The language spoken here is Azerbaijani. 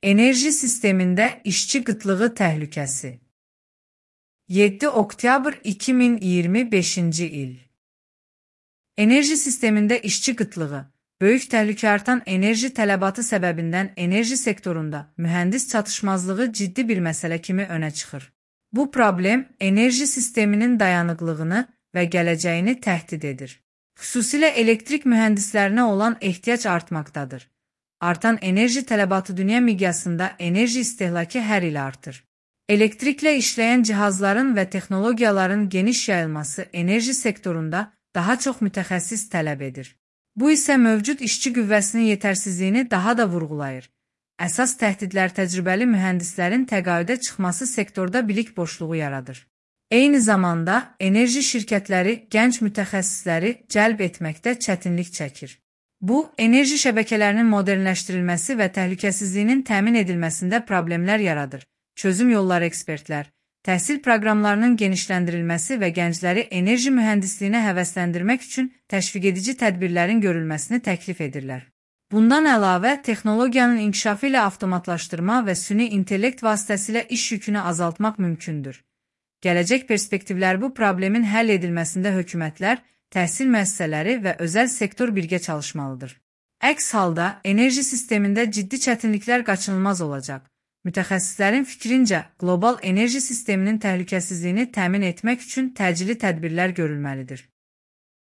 Enerji sistemində işçi qıtlığı təhlükəsi. 7 oktyabr 2025-ci il. Enerji sistemində işçi qıtlığı, böyük təhlükə artan enerji tələbatı səbəbindən enerji sektorunda mühəndis çatışmazlığı ciddi bir məsələ kimi önə çıxır. Bu problem enerji sisteminin dayanıqlığını və gələcəyini təhdid edir. Xüsusilə elektrik mühəndislərinə olan ehtiyac artmaqdadır. Artan enerji tələbatı dünya miqyasında enerji istehlakı hər il artır. Elektriklə işləyən cihazların və texnologiyaların geniş yayılması enerji sektorunda daha çox mütəxəssis tələb edir. Bu isə mövcud işçi qüvvəsinin yetərsizliyini daha da vurğulayır. Əsas təhdidlər təcrübəli mühəndislərin təqaüdə çıxması sektorda bilik boşluğu yaradır. Eyni zamanda enerji şirkətləri gənc mütəxəssisləri cəlb etməkdə çətinlik çəkir. Bu, enerji şəbəkələrinin modernləşdirilməsi və təhlükəsizliyinin təmin edilməsində problemlər yaradır. Çözüm yolları ekspertlər, təhsil proqramlarının genişləndirilməsi və gəncləri enerji mühəndisliyinə həvəsləndirmək üçün təşviq edici tədbirlərin görülməsini təklif edirlər. Bundan əlavə, texnologiyanın inkişafı ilə avtomatlaşdırma və süni intellekt vasitəsilə iş yükünü azaltmaq mümkündür. Gələcək perspektivlər bu problemin həll edilməsində hökumətlər, təhsil müəssisələri və özəl sektor birgə çalışmalıdır. Əks halda, enerji sistemində ciddi çətinliklər qaçınılmaz olacaq. Mütəxəssislərin fikrincə, qlobal enerji sisteminin təhlükəsizliyini təmin etmək üçün təcili tədbirlər görülməlidir.